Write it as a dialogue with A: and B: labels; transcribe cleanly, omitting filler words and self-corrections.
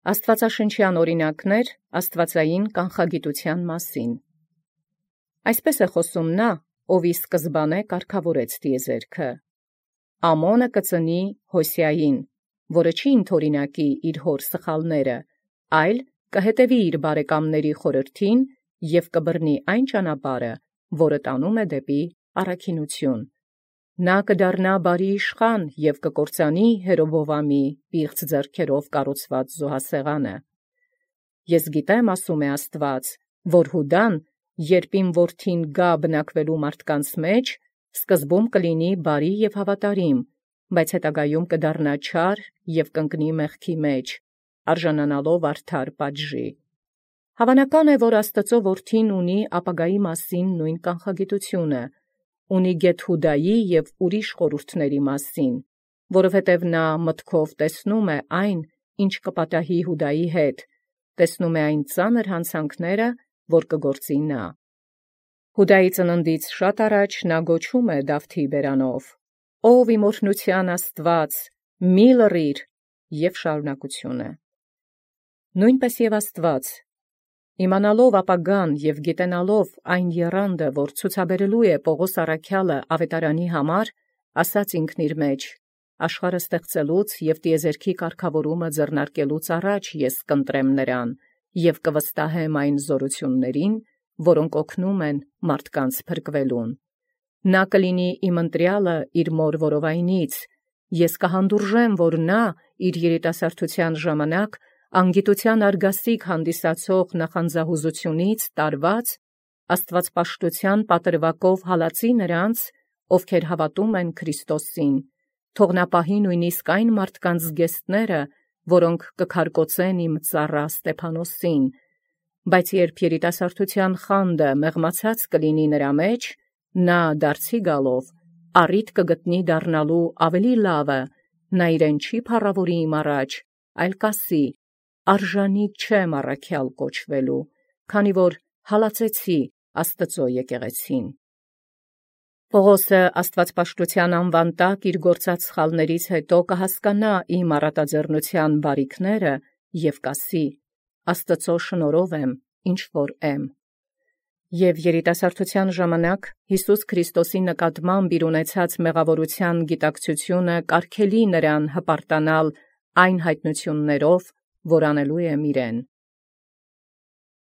A: Աստուածաշնչյան օրինակներ աստուածային կանխագիտութեան մասին։ Այսպես է խոսում նա, ով ի սկզբանե կարգավորեց տիեզերքը. Ամոնը կծնի Հոսիային, որը չի ընթորինակի իր հոր սխալները, այլ կհետևի իր բարեկամների խորհրդին և կբռնի այն ճանապարհը, որը տանում է դեպի առաքինություն։ Նա կդառնա բարի իշխան և կկործանի Երոբովամի պիղծ ձեռքերով կառուցված զոհասեղանը։ Ես գիտեմ, ասում է Աստված, որ Յուդան, երբ իմ որդին գա բնակվելու մարդկանց մեջ, սկզբում կլինի բարի և հավատարիմ, բայց հետագայում կդառնա չար և կընկնի մեղքի մեջ, արժանանալով արդար պատժի։ Հավանական է, որ Աստծո որդին ունի ապագայի մասին նույն կանխագիտությունը, ունի գեթ Յուդայի և ուրիշ խորհուրդների մասին, որովհետև նա մտքով տեսնում է այն, ինչ կպատահի Յուդայի հետ, տեսնում է այն ծանր հանցանքները, որ կգործի նա։ Յուդայի ծննդից շատ առաջ նա գոչում է Դավթի բերանով. «Ով իմ օրհնության Աստված, մի լռիր», և շարունակությունը։ Նույնպես և Աստված, իմանալով ապագան և գիտենալով այն եռանդը, որ ցուցաբերելու է Պողոս առաքյալը ավետարանի համար, ասաց ինքն իր մեջ. «Աշխարհը ստեղծելուց և տիեզերքի կարգավորումը ձեռնարկելուց առաջ ես կընտրեմ նրան և կվստահեմ այն զորություններին, որոնք օգնում են մարդկանց փրկվելուն։ Նա կլինի իմ ընտրյալը իր մոր որովայնից, ես կհանդուրժեմ, որ նա իր երիտասարդության ժամանակ անգիտության արգասիք հանդիսացող նախանձահուզությունից տարված աստվածպաշտության պատրվակով հալածի նրանց, ովքեր հավատում են Քրիստոսին, թող նա պահի նույնիսկ այն մարդկանց զգեստները, որոնք կքարկոծեն իմ ծառա Ստեփանոսին, բայց երբ երիտասարդության խանդը մեղմացած կլինի նրա մեջ, նա դարձի գալով առիթ կգտնի դառնալու ավելի լավը, նա իրեն չի փառավորի իմ առաջ, այլ կասի. արժանի չեմ առաքյալ կոչվելու, քանի որ հալածեցի Աստծո եկեղեցին։ Պողոսը աստվածպաշտության անվան տակ իր գործած սխալներից հետո կհասկանա իմ առատաձեռնության բարիքները և կասի. Աստծո շնորհով եմ, ինչ որ եմ։ Եվ երիտասարդության ժամանակ Յիսուս Քրիստոսի նկատմամբ իր ունեցած մեղավորության գիտակցությունը կարգելի նրան հպարտանալ այն հայտնություններով, որ անելու եմ իրեն։